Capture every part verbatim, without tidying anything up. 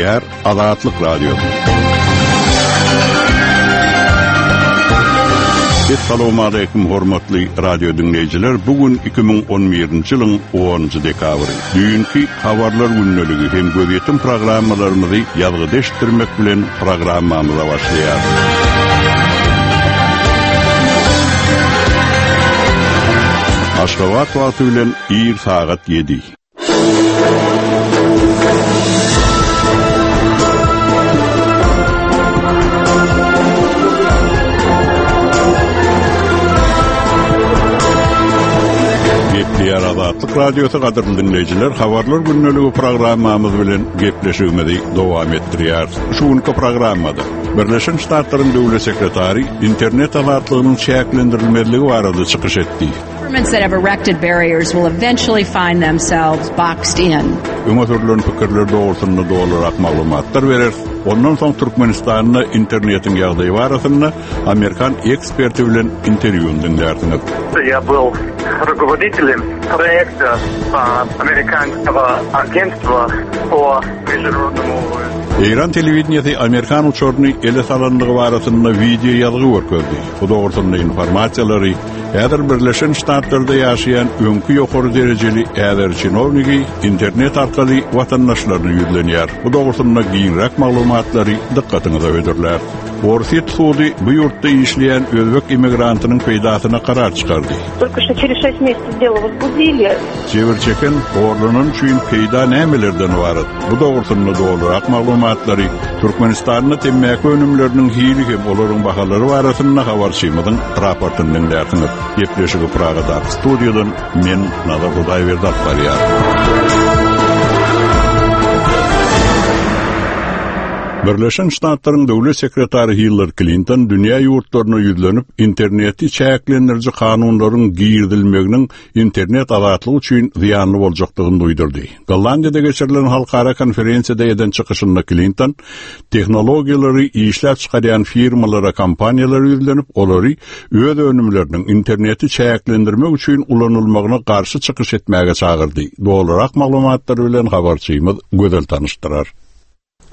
Gepleýär Azatlyk Radiosy. Assalamu alaykum hormatly radio dinleýjiler. Bu gün iki müň on birinji ýylyň onunjy dekabry. Düýnki habarlar gündeligi hem gözýetim programmalarymyzy ýazgyda eşitdirmek bilen programmamyza başlaýarys. Aşgabat wagty bilen ir sagat ýedi. Gepleýär Azatlyk Radiosy gadyrly dinleýjiler, habarlar gündeligi programmamyz bilen gepleşigimizi dowam etdirýär. Şu günki programmada Birleşen Ştatlaryň Döwlet Sekretary internet azatlygynyň çäklendirilmezligi barada çykyş etdi. Governments that have erected barriers will eventually find themselves boxed in. Öňe sürülen pikirler doğrusunda dolurak maglumatlar berer. Ondan soň Türkmenistanda internetiň ýagdaýy barasynda Amerikan eksperti bilen interwýu dinlersiňiz. Я был руководителем проекта американского агентства по международному Eýran telewideniýesi Amerikan uçaryny ele salanlygy barasynda video ýazgy görkezdi. Bu dogrusynda informasiýalary häzir Birleşen Ştatlarda ýaşaýan öňki ýokary derejeli häzir çinownigi internet arkaly watandaşlaryna ýüzlenýär. Bu dogrusynda giňräk maglumatlary dykgatyňyza hödürler. Orsýet sudy bu ýurtda işleýän özbek immigrantynyň peýdasyna karar çykardy. Только что через шесть месяцев дело возбудили. Jebir çeken horlanan üçin peýda nämelerden ibarat? Bu dogrusynda dolurak maglumatlary Türkmenistanda temmäki önümleriniň hili hem olaryň bahalary barasynda habarçymyzyň raportyny dinlersiňiz. Gepleşigi Pragadaky studiýadan men Nazar Hudaýberdi alyp barýar. Birleşen Ştatlaryň Döwlet Sekretary Hillary Clinton dünýä ýurtlaryna ýüzlenip interneti çäklendiriji kanunlaryň girizilmeginiň internet azatlygy üçin zyýanly boljakdygyny duýdurdy. Gollandiýada geçirilen halkara konferensiýada eden çykyşynda Clinton tehnologiýalary işläp çykarýan firmalara, kompaniýalara ýüzlenip, olary öz önümleriniň interneti çäklendirmek üçin ulanylmagyna garşy çykyş etmäge çagyrdy. Dolurak maglumatlar bilen habarçymyz Gözel tanyşdyrar.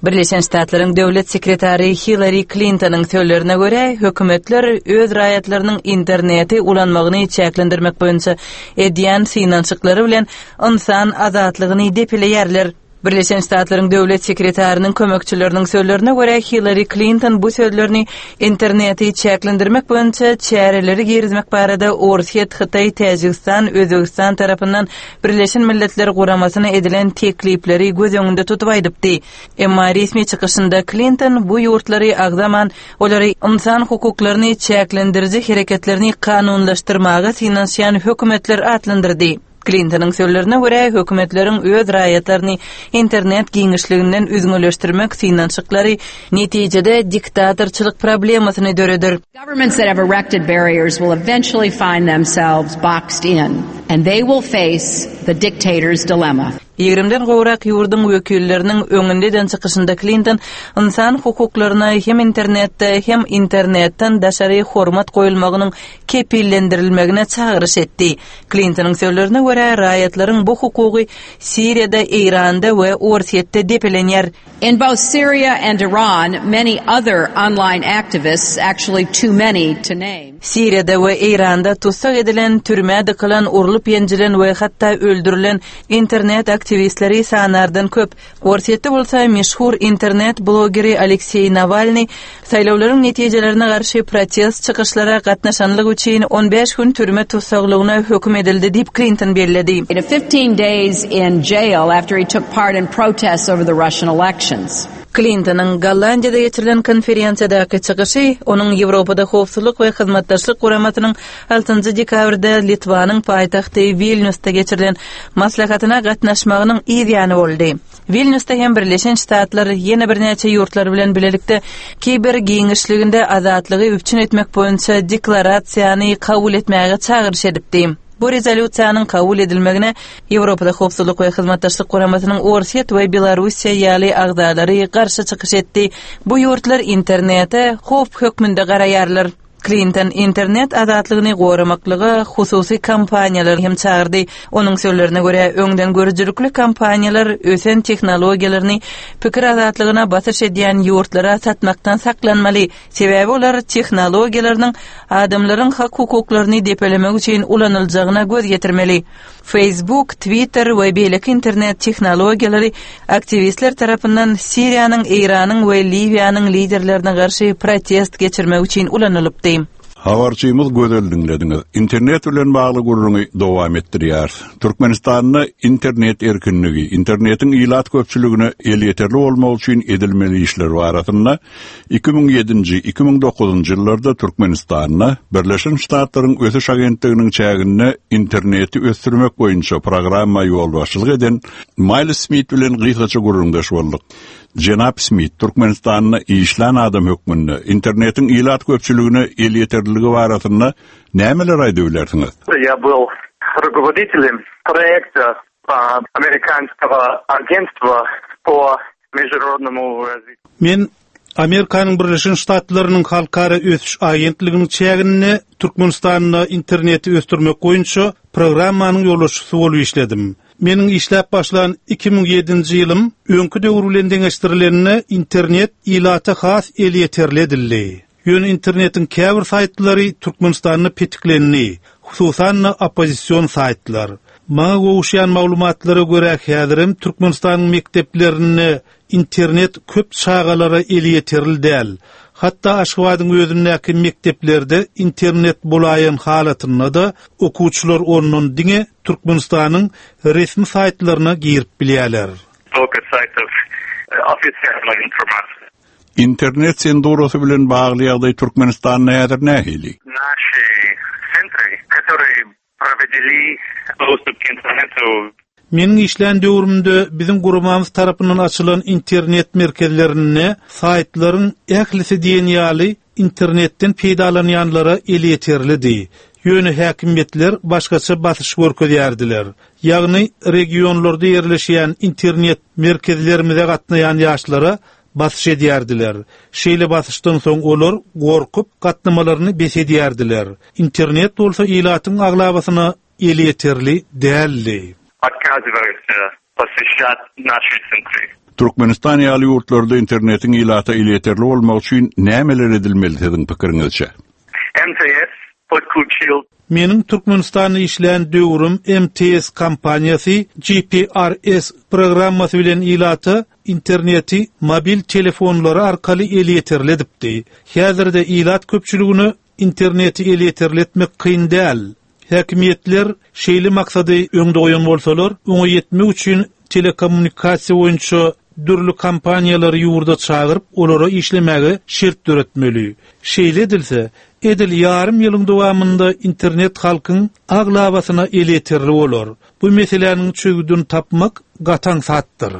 Birleşen Ştatlaryň Döwlet Sekretary Hillary Clintonyň sözlerine görä, hökümetler öz raýatlarynyň interneti ulanmagyny çäklendirmek boýunça edýän synanyşyklary bilen ynsan azatlygyny depeleýärler. Birleşen Ştatlaryň Döwlet Sekretarynyň kömekçileriniň sözlerine görä, Hillary Clinton bu sözlerini interneti çäklendirmek boýunça çäreleri girizmek barada Orsýet, Hytaý, Täjigistan, Özbegistan tarapyndan Birleşen Milletler Guramasyna edilen teklipleri göz öňünde tutup aýdypdy. Emma resmi çykyşynda Clinton bu ýurtlary agzaman, olary ynsan hukuklaryny çäklendiriji hereketlerini kanunlaşdyrmaga synanyşýan hökümetler atlandyrdy. Clintonyň sözlerine görä, hökümetleriň öz raýatlaryny internet giňişliginden üzňeleşdirmek synanyşyklary netijede diktatorçylyk problemasyny döreder. Governments that have erected barriers will eventually find themselves boxed in, and they will face the dictator's dilemma. Ýigrimden gowrak ýurduň wekilleriniň öňünde eden çykyşynda Clinton ynsan hukuklaryna hem internetde hem internetden daşary hormat goýulmagynyň kepillendirilmegine çagyryş etdi. Clintonyň sözlerine görä, raýatlaryň bu hukugy Siriýada, Eýranda we Orsýetde depelenýär. In both Syria and Iran, many other online activists, actually too many to name. Siriýada we Eýranda tussag edilen, türmä dykylan, urlup ýenjilen we hatda öldürilen internet aktiwistleri sanardan köp. Orsýetde bolsa meşhur internet blogeri Aleksey Nawalny saýlawlaryň netijelerine garşy protest çykyşlara gatnaşanlygy üçin on bäş gün türme tussaglygyna höküm edildi diýip Clinton belledi. In fifteen days in jail after he took part in protests over the Russian elections. Clintonyň Gollandiýada geçirilen konferensiýadaky çykyşy onuň Ýewropada howpsuzlyk we hyzmatdaşlyk guramasynyň altynjy dekabrda Litwanyň paýtagty Vilniusda geçirilen maslahatyna gatnaşmagynyň yz ýany boldy. Vilniusda hem Birleşen Ştatlar ýene birnäçe ýurtlar bilen bilelikde kiber giňişliginde azatlygy üpjün etmek boýunça deklarasiýany kabul etmäge çagyryş edipdi. Bu rezolýusiýanyň kabul edilmegine Ýewropada howpsuzlyk we hyzmatdaşlyk guramasynyň Orsýet we Belorussiýa ýaly agzalary garşy çykyş etdi. Bu ýurtlar internete howp hökmünde garaýarlar. Klinton internet azatlygyny goramaklyga hususy kompaniýalary hem çagyrdy. Onuň sözlerine görä, öňden görüjilikli kompaniýalar ösen tehnologiýalaryny pikir azatlygyna basyş edýän ýurtlara satmakdan saklanmaly. Sebäbi olar tehnologiýalarynyň adamlaryň hak-hukuklaryny depelemek üçin ulanyljagyna göz ýetirmeli. Facebook, Twitter we beýleki internet tehnologiýalary aktiwistler tarapyndan Siriýanyň, Eýranyň we Liwiýanyň liderlerine garşy protest geçirmek üçin ulanylypdy. Habarçymyz Gözel diňlediňiz. Internet bilen bagly gürrüňi dowam etdirýär. Türkmenistanda internet erkinligi, internetiň ilat köpçüligine elýeterli bolmagy üçin edilmeli işler barasynda iki müň ýedinji, iki müň dokuzynjy ýyllarda Türkmenistanda Birleşen Ştatlaryň Ösüş Agentliginiň çäginde interneti ösdürmek boýunça programma ýolbaşçylyk eden Miles Smith bilen gysgaça gürrüňdeş bolduk. Jenap Smith, Türkmenistanda işlän adam hökmünde internetiň ilat köpçüligine elýeterliligi barasynda nämeler aýdyp bilersiňiz? Я был руководителем проекта американского агентства по международному развитию. Men Amerikanyň Birleşen Ştatlarynyň Halkara Ösüş Agentliginiň çäginde Türkmenistanda interneti ösdürmek boýunça programmanyň ýolbaşçysy bolup işledim. Meniň işläp başlan iki müň ýedinji ýylym öňki döwür bilen deňeşdirileninde internet ilata has elýeterli edildi. Ýöne internetiň käbir saýtlary Türkmenistanda petiklendi, hususan oppozision saýtlar. Maňa gowuşýan maglumatlara görä häzirem Türkmenistanyň mekdeplerinde internet köp çagalara elýeterli däl. Hatda Aşgabadyň özündäki mekdeplerde internet bolaýan halatynda da okuwçylar ondan diňe Türkmenistanyň resmi saýtlaryna girip bilýärler. Только сайтов официальной информации. Internet sendurasy bilen bagly ýagdaý Türkmenistanda häzir nähili? Наши центры, которые проводили доступ к интернету. Meniň işlän döwrümde biziň guramamyz tarapyndan açylan internet merkezlerinde saýtlaryň ählisi diýen ýaly internetden peýdalanýanlara elýeterlidi. Ýöne häkimiýetler başgaça basyş görkezýärdiler. Ýagny regionlarda ýerleşýän internet merkezlerimize gatnaýan ýaşlara basyş edýärdiler. Şeýle basyşdan soň olar gorkup gatnamalaryny bes edýärdiler. Internet bolsa ilatyň aglabasyna elýeterli däldi. Отказываются посещать наши центры. Türkmenistan ýaly ýurtlarda internetiň ilata elýeterli bolmagy üçin nämeler edilmeli siziň pikiriňizçe? M T S подключил. Meniň Türkmenistanda işlän döwrüm M T S kompaniýasy G P R S programmasy bilen ilata interneti mobil telefonlary arkaly elýeterli edipdi. Häzirde ilat köpçüligine interneti elýeterli etmek kyn däl. Häkimiýetler şeýle maksady öňde goýan bolsalar, oňa ýetmek üçin telekommunikasiýa boýunça dürli kompaniýalary ýurda çagyryp, olara işlemäge şert döretmeli. Şeýle edilse, edil ýarym ýylyň dowamynda internet halkyň aglabasyna elýeterli bolar. Bu meseläniň çözgüdini tapmak gataň satdyr.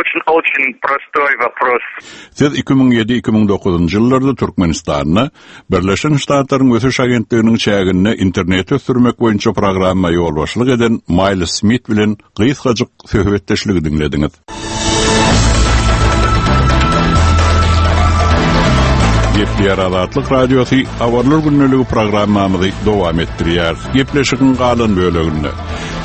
Очень, очень простой вопрос. Siz iki müň ýedi, iki müň dokuzynjy ýyllarda Türkmenistanda Birleşen Ştatlaryň Ösüş Agentliginiň çäginde interneti ösdürmek boýunça programma ýolbaşçylyk eden Miles Smith bilen gysgajyk söhbetdeşligi diňlediňiz. Gepleýär Azatlyk Radiosy Habarlar gündeligi programmamyzy dowam etdirýär. Gepleşigiň galan böleginde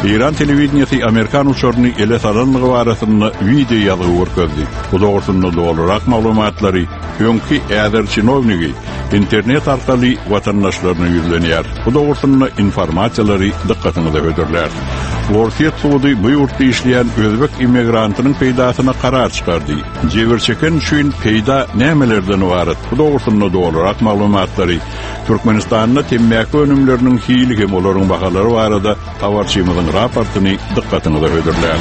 Eýran telewideniýesi Amerikan uçaryny ele salanlygy barasynda video ýazgy görkezdi. Bu dogrusynda dolurak maglumatlary öňki Äzer çinownigi internet arkaly watandaşlaryna ýüzlenýär. Bu dogrusynda informasiýalary dykgatyňyza hödürlär. Orsýet sudy bu ýurtda işleýän özbek immigrantynyň peýdasyna karar çykardy. Jebir çeken üçin peýda nämelerden ibarat? Bu dogrusynda dolurak maglumatlary Türkmenistanda temmäki önümleriniň hili hem olaryň bahalary barada habarçymyzyň raportyny dykgatyňyza hödürlär.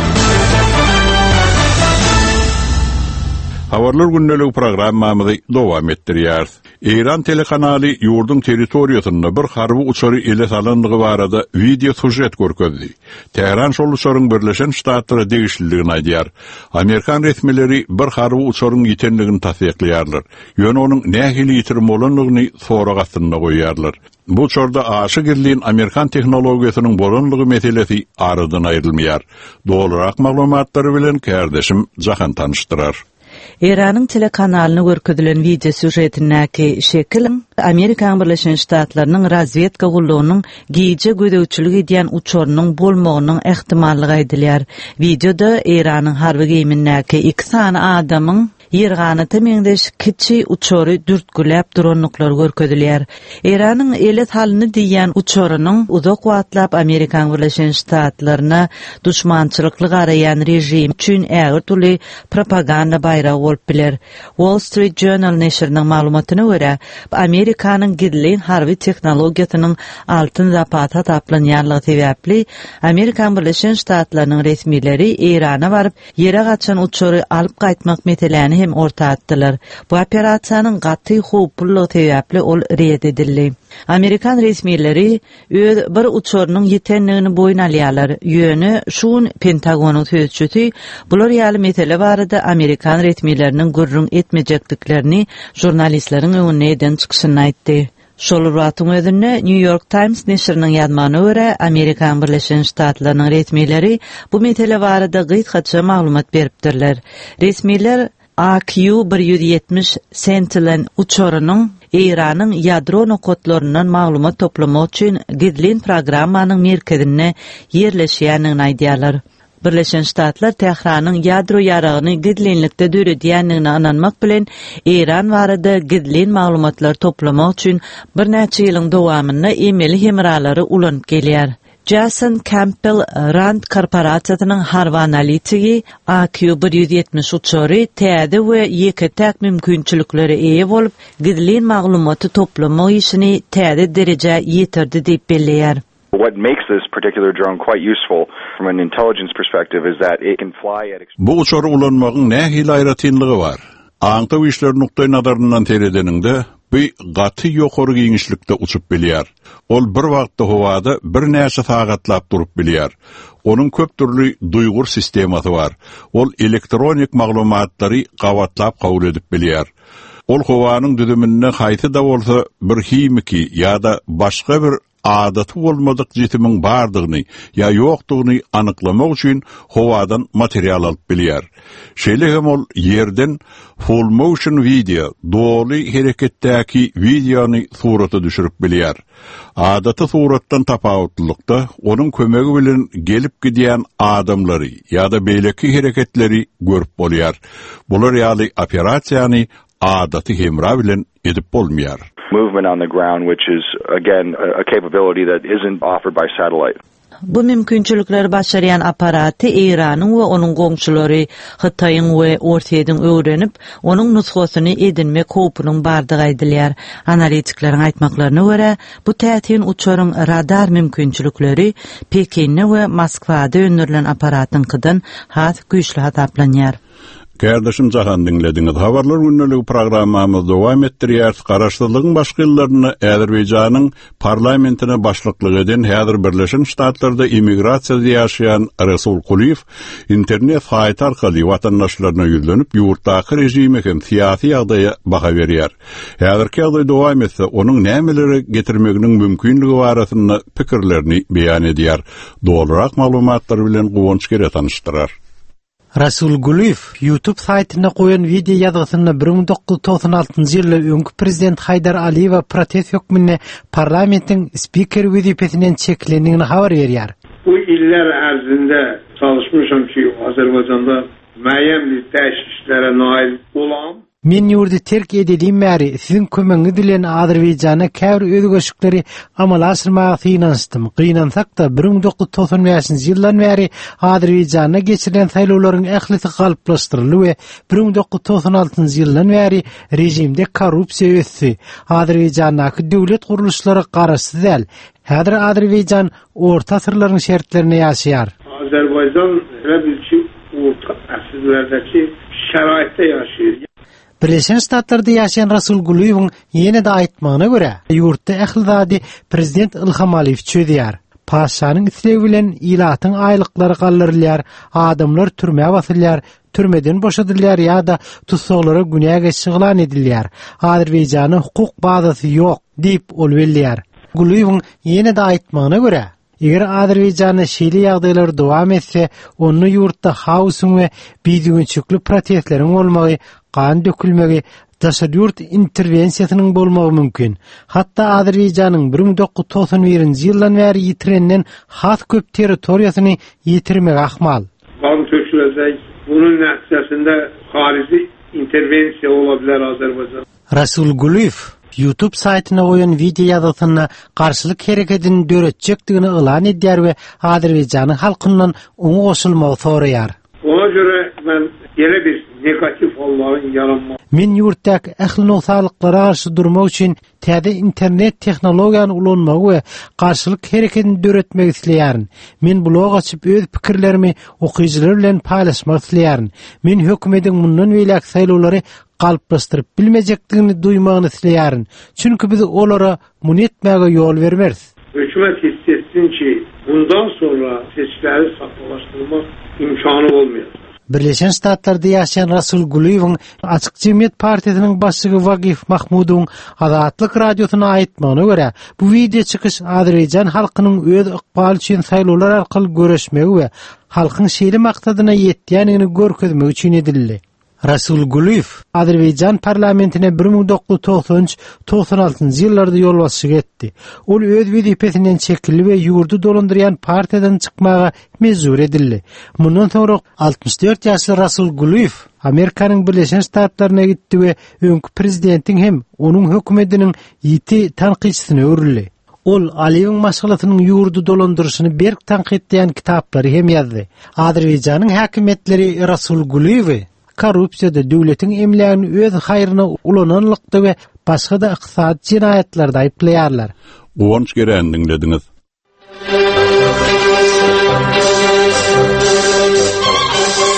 Habarlar gündeligi programmamyzy dowam etdirýär. Eýran telekanaly ýurduň territoriýasynda bir harby uçary ele salanlygy barada video sujet görkezdi. Tähran şol uçaryň Birleşen Ştatlara degişliligini aýdýar. Amerikan resmileri bir harby uçaryň ýitenligini tassyklaýarlar. Ýöne onuň nähili ýitirim bolanlygyny sorag astynda goýýarlar. Bu uçarda aşa gizlin Amerikan tehnologiýasynyň bolanlygy meselesi aradan aýrylmaýar. Dolurak maglumatlary bilen kärdeşim Jahan tanyşdyrar. Eýranyň telekanalyna görkezilen wideo sýužetindäki şekil Amerikan Birleşen Ştatlarynyň razwedka gullugynyň gije gözegçilik edýän uçarynyň bolmagynyň ähtimallygy aýdylýar. Wideoda Eýranyň harby geýimindäki iki sany adamyň ýerganata meňzeş kiçi uçary dürtgüläp durandyklary görkezilýär. Eýranyň ele salyndy diýýän uçarynyň uzak wagtlap Amerikan Birleşen Ştatlaryna duşmançylykly garaýan režim üçin ägirt uly propaganda baýragy bolup biler. Wall Street Journal neşiriniň maglumatyna görä, Amerikanyň gizlin harby tehnologiýasynyň altyn zapasy hasaplanýanlygy sebäpli Amerikan Birleşen Ştatlarynyň resmileri Eýrana baryp ýere gaçan uçary alyp gaýtmak meseläni hem orta atdylar. Bu operasiýanyň gaty howplulygy sebäpli ol red edildi. Amerikan resmileri öz bir uçarynyň ýitenligini boýun alýarlar. Ýöne şu gün Pentagonyň sözçüsi bular ýaly mesele barada Amerikan resmileriniň gürrüň etmejekdiklerini žurnalistleriň öňünde eden çykyşynda aýtdy. Şol wagtyň özünde New York Times neşiriniň ýazmagyna görä, Amerikan Birleşen Ştatlarynyň resmileri bu mesele barada gysgaça maglumat beripdirler. Resmiler A Q bir ýüz ýetmiş Sentinel uçarynyň Eýranyň ýadro nokatlaryndan maglumat toplamak üçin gizlin programmanyň merkezinde ýerleşýändigini aýdýarlar. Birleşen Ştatlar Tähranyň ýadro ýaragyny gizlinlikde döredýändigine ynanmak bilen Eýran barada gizlin maglumatlar toplamak üçin birnäçe ýylyň dowamynda emeli hemralary ulanyp gelýär. Jason Campbell Rand korporasiýasynyň harby analitigi A Q bir ýüz ýetmiş uçary täze we ýeke-täk mümkinçiliklere eýe bolup, gizlin maglumaty toplamak işini täze derejä ýetirdi diýip belleýär. What makes this particular drone quite useful from an intelligence perspective is that it can fly at Bu uçary ulanmagyň nähili aýratynlygy bar? Aňtaw işleri nukdaý nazaryndan seredeniňde, bu gaty ýokary giňişlikde uçup bilýär. Ol bir wagtda howada birnäçe sagatlap durup bilýär. Onuň köp dürli duýgur sistemasy bar. Ol elektronik maglumatlary gabatlap kabul edip bilýär. Ol howanyň düzüminde haýsy da bolsa bir himiki ýa-da başga bir adaty bolmadyk jisimiň bardygyny ýa ýokdugyny anyklamak üçin howadan material alyp bilýär. Şeýle hem ol ýerden full motion video, doly hereketdäki wideony surata düşürip bilýär. Adaty suratdan tapawutlylykda onuň kömegi bilen gelip gidýän adamlary ýa-da beýleki hereketleri görüp bolýar. Bular ýaly operasiýany adaty hemra bilen edip bolmaýar. Movement on the ground, which is again a, a capability that isn't offered by satellite. Bu mümkinçilikleri başarýan aparaty Eýranyň we onuň goňşulary Hytaýyň we Orsýetiň öwrenip, onuň nusgasyny edinmek howpunyň bardygy aýdylýar. Analitikleriň aýtmaklaryna görä, bu täsin uçaryň radar mümkinçilikleri Pekinde we Moskwada öndürilen aparatyňkydan has güýçli hasaplanýar. Kardeşim Jahan dinlediňiz. Habarlar günlügi programmamyz dowam etdirýär. Garaşsyzlygyň başky ýyllarynda Azerbaýjanyň parlamentine başlyklyk eden häzir Birleşen Ştatlarda immigrasiýada ýaşaýan Resul Kuliýew internet saýty arkaly watandaşlaryna ýüzlenip, ýurtdaky režime hem syýasy ýagdaýa baha berýär. Häzirki ýagdaý dowam etse, onuň nämelere getirmeginiň mümkinligi barasynda pikirlerini beýan edýär. Dolurak maglumatlar bilen Guwanç Gere tanyşdyrar. Rasul Guliýew YouTube saýtynda goýan wideo ýazgysynda bir müň dokuz ýüz togsan altynjy ýylda öňki prezident Haýdar Aliýewe protest hökmünde parlamentiň spiker wezipesinden çekilendigini habar berýär. Bu illər ərzində çalışmışam ki, Azərbaycanda müəyyən bir dəyişikliklərə nail olam. Men ýurdy terk edelim bäri siziň kömegiňiz bilen Azerbaýjana käbir özgerişlikleri amala aşyrmaga synanyşdym. Gynansak da bir müň dokuz ýüz togsan bäşinji ýyldan bäri Azerbaýjanda geçirilen saýlawlaryň ählisi galplaşdyryldy we bir müň dokuz ýüz togsan altynjy ýyldan bäri režimde korrupsiýa ösdi. Azerbaýjandaky döwlet gurluşlary garaşsyz däl. Häzir Azerbaýjan orta asyrlaryň şertlerinde ýaşaýar. Azerbaycan elə bil ki, orta əsrlərdəki şəraitdə yaşayır. Birleşen Ştatlarda ýaşaýan Rasul Guliýewiň ýene de aýtmagyna görä, ýurtda ähli zady prezident Ilham Aliýew çözýär. Paşanyň islegi bilen ilatyň aýlyklary galdyrylýar, adamlar türmä basylýar, türmeden boşadylýar ýa-da tussaglara günä geçiş yglan edilýär. Azerbaýjanyň hukuk bazasy ýok diýip ol belleýär. Guliýewiň ýene de aýtmagyna görä, Eger Azerbaýjanda şeýle ýagdaýlar dowam etse, onda ýurtda haosyň we bidügünçilikli protestleriň bolmagy, gan dökülmegi, daşary ýurt interwensiýasynyň bolmagy mümkin. Hatda Azerbaýjanyň bir müň dokuz ýüz togsan birinji ýyldan bäri ýitirenden has köp territoriýasyny ýitirmegi ahmal. Qan töküləcək. Bunun nəticəsində xarici interwensiýa ola bilər Azərbaycan. Rasul Gulyýew YouTube saýtyna goýan wideo ýazgysynda garşylyk hereketini döretjekdigini yglan edýär we Azerbaýjanyň halkyndan oňa goşulmagy soraýar. Ona görə mən elə bir negativ halların yaranması Men ýurtdaky ähli nogsanlyklara garşy durmak üçin täze internet tehnologiýany ulanmagy we garşylyk hereketini döretmek isleýärin. Men blog açyp öz pikirlerimi okyjylar bilen paýlaşmak isleýärin. Men hökümetiň mundan beýläk saýlawlary galplaşdyryp bilmejekdigini duýmagyny isleýärin. Çünki biz olara muny etmäge ýol bermeris. Hökumət hiss etsin ki, bundan sonra seçkiləri saxtalaşdırmaq imkanı olmayacaq. Birleşen Ştatlarda ýaşaýan Rasul Gulyýewiň Açyk Jemgyýet Partiýasynyň başlygy Wagif Mahmudowyň Azatlyk radiosyna aýtmagyna görä, bu wideo çykyş Azerbaýjan halkynyň öz ykbaly üçin saýlawlar arkaly göreşmegi we halkyň şeýle maksadyna ýetýändigini görkezmek üçin edildi. Rasul Gulyýew Azerbaýjan parlamentine bir müň dokuz ýüz togsan üç togsan altynjy ýyllarda ýolbaşçylyk etdi. Ol öz wezipesinden çekildi we ýurdy dolandyrýan partiýadan çykmaga mejbur edildi. Mundan soňra altmyş dört ýaşly Rasul Gulyýew Amerikanyň Birleşen Ştatlaryna gitdi we öňki prezidentiň hem onuň hökümetiniň ýiti tankytçysyna öwrüldi. Ol Aliýewiň maşgalasynyň ýurdy dolandyryşyny berk tankytlaýan kitaplary hem ýazdy. Azerbaýjanyň häkimiýetleri Rasul Gulyýewi korrupsiýada döwletiň emlägini öz haýryna ulananlykda we başga da ykdysady jenaýatlarda aýyplaýarlar. Guwanç Geren diňlediňiz.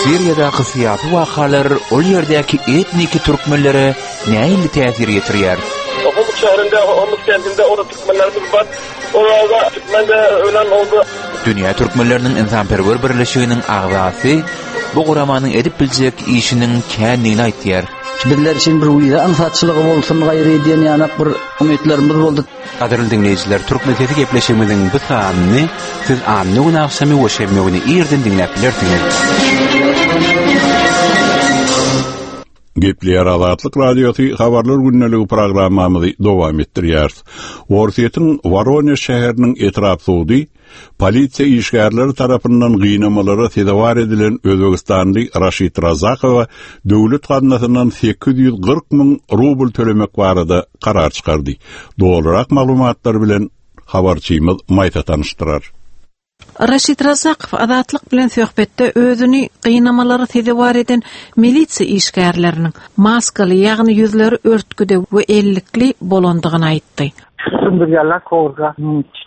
Siriýadaky syýasy wakalar ol ýerdäki etniki türkmenlere nähili täsir ýetirýär? Homs şäherinde, Homs kentinde orada türkmenlerimiz bar. Orada türkmen de ölen oldu. Dünýä Türkmenleriniň Ynsanperwer Birleşiginiň agzasy bu guramanyň edip biljek işiniň kändigini aýtýar. Bizler üçin bir wiza aňsatçylygy bolsun gaýry diýen ýanak bir umytlarymyz boldy. Gadyrly diňleýjiler, Türkmen sesi gepleşigimiziň bu sanyny siz anna gün agşamy we şenbe güni irden diňläp bilersiňiz. Gepleýär Azatlyk Radiosy habarlar gündeligi programmamyzy dowam etdirýär. Orsýetiň Woronej şäheriniň etrap sudy polisiýa işgärleri tarapyndan gynamalara sezewar edilen Özbegistanly Raşid Razakowa döwlet gaznasyndan sekiz ýüz kyrk müň rubl tölemek barada karar çykardy. Dogrurak maglumatlar bilen habarçymyz Maýsa tanyşdyrar. Raşid Razakow Azatlyk bilen söhbetde özüni gynamalara sezewar eden milisiýa işgärleriniň maskaly, ýagny ýüzleri örtgüde we ellikli bolandygyny aýtdy. Sındırýarlar kowurga,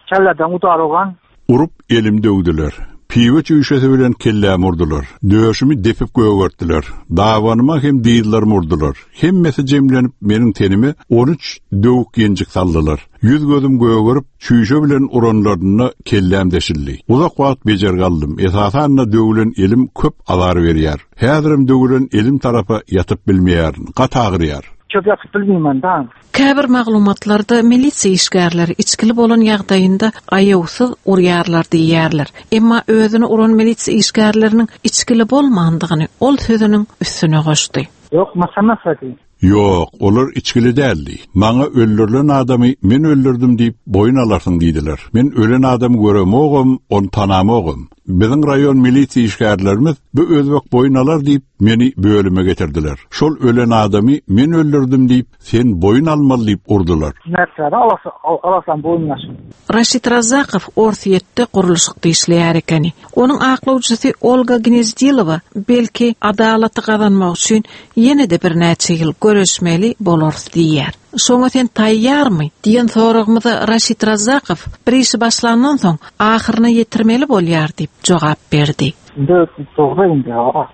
çalladan udarogan. Urup elim döwdüler. Piwe çüýşesi bilen kelläm urdular. Döşümi depip gögertdiler. Davanyma hem dizlerim urdular. Hemmesi jemlenip meniň tenime on üç döwük ýenjik saldylar. Ýüz gözüm gögerip, çüýşe bilen uranlarynda kelläm deşildi. Uzak wagt bejer galdym. Esasan döwülen elim köp azar berýär. Häzirem döwülen elim tarapa ýatyp bilmeýärin. Gat agyrýar. Çok ýatyp bilmeýän da. Käbir maglumatlarda milisiýa işgärleri içkili bolan ýagdaýynda aýawsyz urýarlar diýýärler. Emma özüni uran milisiýa işgärleriniň içkili bolmandygyny ol sözüniň üstüne goşdy. Ýok, masamasa diý. Ýok, olar içkili däldi. Maňa öldürilen adamy men öldürdüm diýip boýun alarsyň diýdiler. Men ölen adamy göremogam, on tanamogam. Biziň raýon milisiýa işgärlerimiz bu özbek boýun alar diýip meni bölüme getirdiler. Şol ölen adamy men öldürdüm diýip sen boýun almaly diýip urdular. Nätsäde alasa, alasan boýun aşyn. Raşid Razakow Orsýetde gurluşykda işleýär ekeni. Onuň aklawçysy Olga Gnezdilowa belki adalaty gazanmak üçin ýene-de birnäçe ýyl göreşmeli bolarys diýýär. Şoňa sen taýýarmy diýen soragymyza Raşid Razakow bir işi başlandan soň ahyryna ýetirmeli bolýar diýip jogap berdi. Indi dogry indi,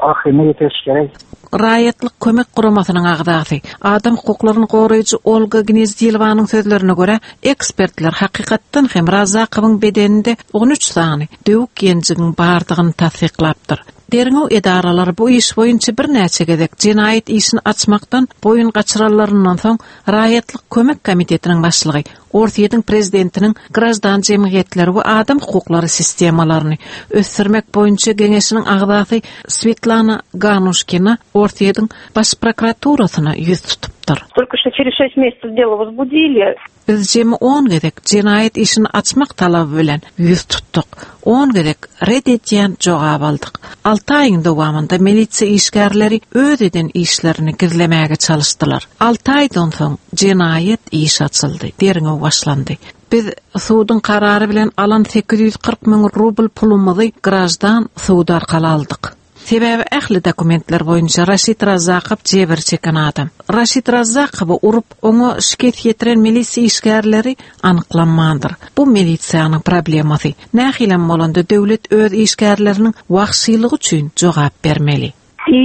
ahyryna ýetiriş gerek. Raýatlyk kömek guramasynyň agzasy, adam hukuklaryny goraýjy Olga Gnezdilowanyň sözlerine görä, ekspertler hakykatdan hem Razzakowyň bedeninde on üç sany döwük ýenjigiň bardygyny tassyklapdyr. Derňew edaralary bu iş boýunça birnäçe gezek jenaýat işini açmakdan boýun gaçyranlaryndan soň Raýatlyk kömek komitetiniň başlygy Orsýetiň prezidentiniň grajdan jemgyýetleri we adam hukuklary sistemalaryny ösdürmek boýunça geňeşiniň agzasy Svetlana Ganuşkina Orsýetiň baş prokuraturasyna ýüz tutupdyr. Только что через шесть месяцев дело возбудили. Biz jemi on gezek jenaýat işini açmak talaby bilen ýüz tutduk. On gezek red edýän jogap aldyk. Alty aýyň dowamynda milisiýa işgärleri öz eden işlerini gizlemäge çalyşdylar. Alty aýdan soň jenaýat iş açyldy, derňew başlandy. Biz suduň karary bilen alan sekiz ýüz kyrk müň rubl pulumyzy grajdan sud arkaly aldyk. Sebäbi ähli dokumentler boýunça Raşid Razzakow jebir çeken adam. Raşid Razzakowy urup, oňa şikes ýetiren milisiýa işgärleri anyklanmandyr. Bu milisiýanyň problemasy. Nähilem bolanda döwlet öz işgärleriniň wagşylygy üçin jogap bermeli. И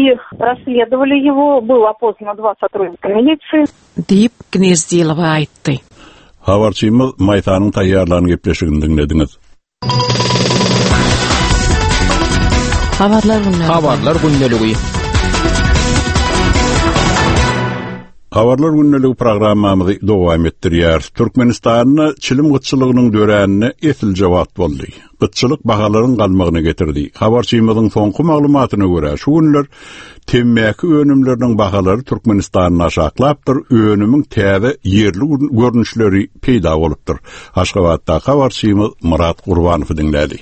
расследовали его, было опознано два сотрудника милиции. Diýip Gnezdilowa aýtdy. Habarçymyz Maýsanyň taýýarlan gepleşigini diňlediňiz. Habarlar gündeligi. Habarlar gündeligi. Habarlar gündeligi programmamyzy dowam etdirýär. Türkmenistanda çilim gytçylygynyň döränine esilje wagt boldy. Gytçylyk bahalaryň galmagyna getirdi. Habarçymyzyň soňky maglumatyna görä şu günler temmäki önümleriniň bahalary Türkmenistanda aşaklapdyr, önümiň täze ýerli görnüşleri peýda bolupdyr. Aşgabatda habarçymyz Murat Gurbanowy diňlädi.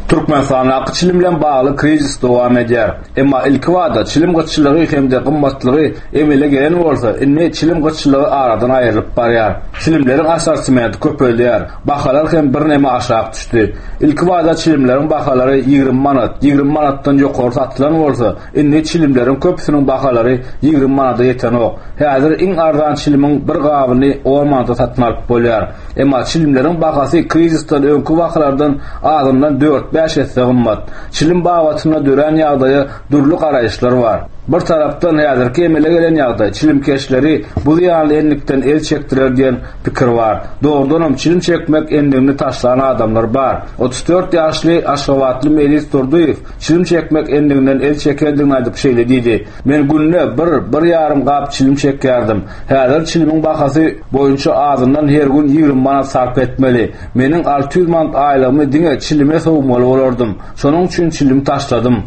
Türkmenistandaky çilim bilen bagly krizis dowam edýär. Emma ilki wada çilim gytçylygy hem-de gymmatlygy emele gelen bolsa, indi çilim gytçylygy aradan aýrylyp barýar. Çilimleriň assortimenti köpelýär. Bahalar hem birneme aşak düşdi. Ilki wada çilimleriň bahalary ýigrimi manat, ýigrimi manatdan ýokary satylan bolsa, indi çilimleriň köpüsiniň bahalary ýigrimi manada ýetenok. Häzir iň arzan çilimiň bir gabyny on manata satyn alyp bolýar. Emma çilimleriň bahasy krizisden öňki bahalardan azyndan dört bäş esse gymmat. Çilim babatynda dörän ýagdaýa dürli garaýyşlar bar. Bir tarapdan häzirki emele gelen ýagdaý çilimkeşleri bu zyýanly enlikden el çekdirer diýen pikir bar. Dogrudanam çilim çekmek endigini taşlan adamlar bar. Otuz dört ýaşly Aşgabatly Melis Durdyýew çilim çekmek endiginden el çekendigini aýdyp şeýle diýdi. Men günde bir, bir ýarym gap çilim çekýärdim. Häzir çilimiň bahasy boýunça azyndan her gün ýigrimi manat sarp etmeli. Meniň alty ýüz manat aýlygymy diňe çilime sowmaly bolardym. Şonuň üçin çilim taşladym,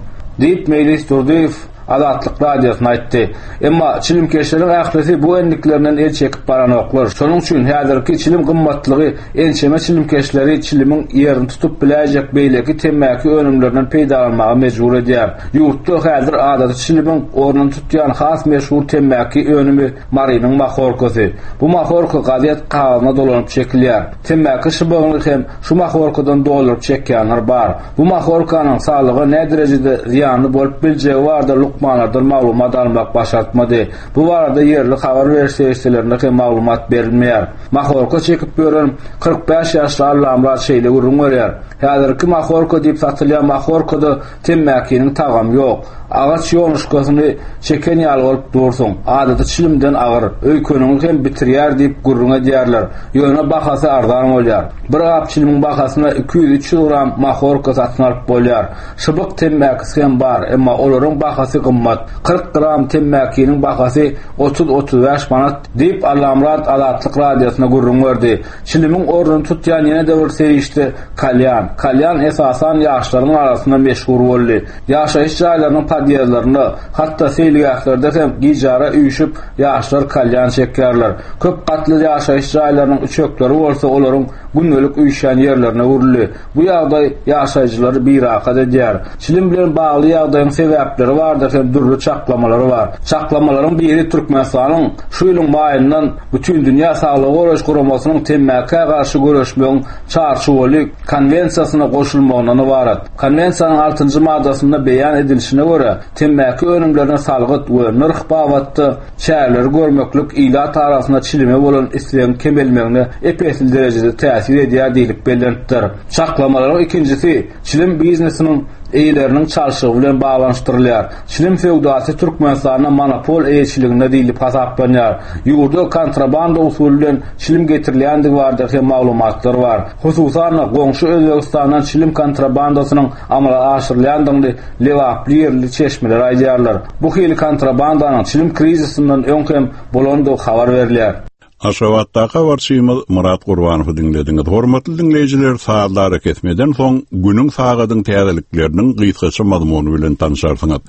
diýip Melis Durdyýew Azatlyk radiosyna aýtdy. Emma çilimkeşleriň ählisi bu endiklerinden el çekip baranoklar. Şonuň üçin häzirki çilim gymmatlygy ençeme çilimkeşleri çilimiň ýerini tutup biläýjek beýleki temmäki önümlerinden peýdalanmaga mejbur edýär. Ýurtda häzir adaty çilimiň ornuny tutýan has meşhur temmäki önümi Marynyň mahorkasy. Bu mahorka gazet kagyzyna dolanyp çekilýär. Temmäki şybygyny hem şu mahorkadan dolduryp çekýänler bar. Bu mahorkanyň saglyga näderejede derejede zyýanly bolup biljegi barada lukmanlardan maglumat almak başartmady. Bu barada ýerli habar beriş serişdelerinde hem maglumat berilmeýär. Mahorka çekip ýören kyrk bäş ýaşly Allamrat şeýle gürrüň berýär. Häzirki mahorka diýip satylýan mahorkada temmäkiniň tagamy ýok. Agaç ýonuşkasyny çeken ýaly bolup dursun. Adaty çilimden agyr, öýkeniňi hem bitirýär diýip gürrüň edýärler. Ýöne bahasy arzan bolýar. Bir gap çilimiň bahasyna iki ýüz üç ýüz gram mahorka satyn alyp bolýar. Şybyk temmäkisi hem bar, emma olaryň bahasy gymmat. Kyrk gram temmäkiniň bahasy otuz otuz bäş manat diýip Allamrat Azatlyk radiosyna gürrüň berdi. Çilimiň ornuny tutýan ýene-de bir serişde kalýan. Kalýan esasan ýaşlaryň arasynda meşhur boldy. Ýaşaýyş jaýlarynyň podýezdlerinde, hatda seýilgählerde hem gijara üýşüp ýaşlar kalýan çekýärler. Köp gatly ýaşaýyş jaýlarynyň üçekleri bolsa olaryň gündelik üýşýän ýerlerine öwrüldi. Bu ýagdaý ýaşaýjylary birahat edýär. Çilim bilen bagly ýagdaýyň sebäpleri bardyr hem dürli çaklamalary bar. Çaklamalaryň biri Türkmenistanyň şu ýylyň maýyndan Bütün Dünýä Saglygy Goraýyş Guramasynyň temmäkä garşy göreşmegiň çarçuwaly konwensiýasyna goşulmagyndan ybarat. Konwensiýanyň altynjy maddasynda beýan edilişine görä, temmäki önümlerine salgyt we nyrh babatda çäreleri görmeklik ilat arasynda çilime bolan islegiň kemelmegine ep-esli derejede täsir täsir edýär diýlip bellenipdir. Çaklamalaryň ikinjisi çilim biznesiniň eýeleriniň çalşygy bilen baglanyşdyrylýar. Çilim söwdasy Türkmenistanda monopol eýeçiliginde diýlip hasaplanýar. Ýurda kontrabanda usuly bilen çilim getirilýändigi barada hem maglumatlar bar. Hususan goňşy Özbegistandan çilim kontrabandasynyň amala aşyrylýandygyny Lebaply ýerli çeşmeler aýdýarlar. Bu hili kontrabandanyň çilim krizisinden öň hem bolandygy habar berilýär. Aşgabatdaky habarçymyz Murat Gurbanowy diňlediňiz. Hormatly diňleýjiler, sazlary kesmeden soň günüň sagadyň täzelikleriniň gysgaça mazmuny bilen tanışarsyňyz.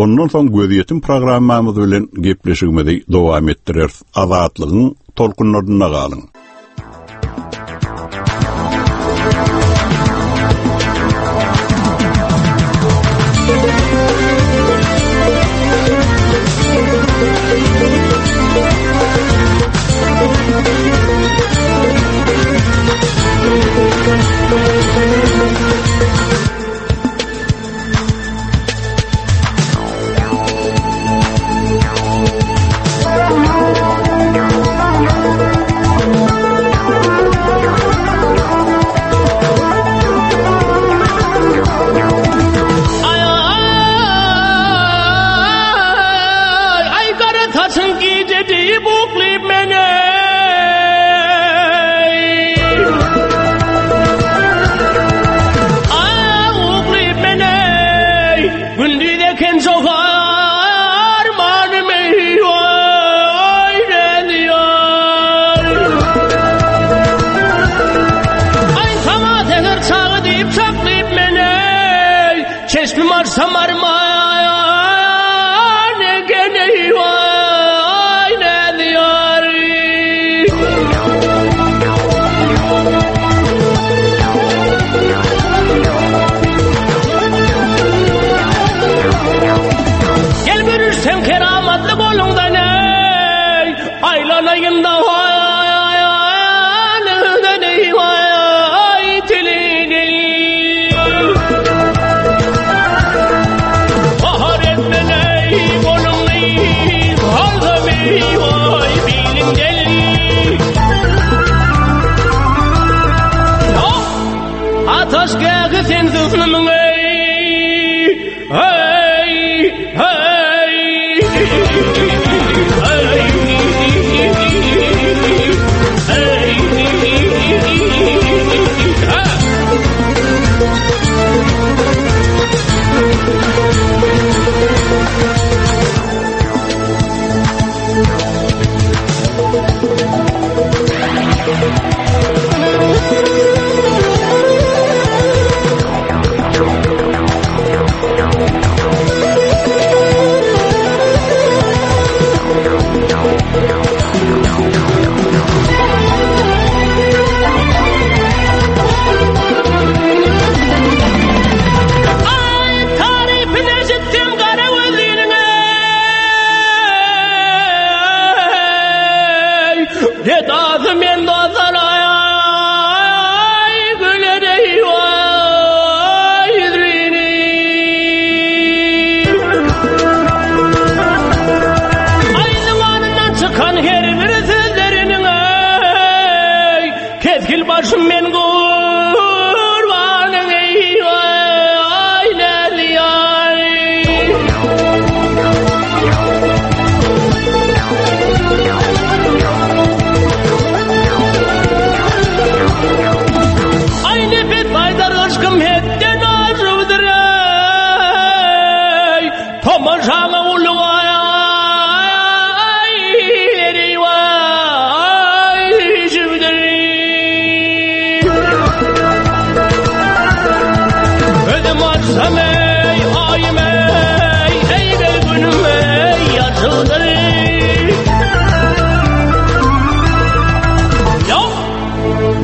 Ondan soň gözýetim programmamyz bilen gepleşigimizi dowam etdireris. Azatlygyň tolkunlarynda galyň.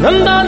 Nanda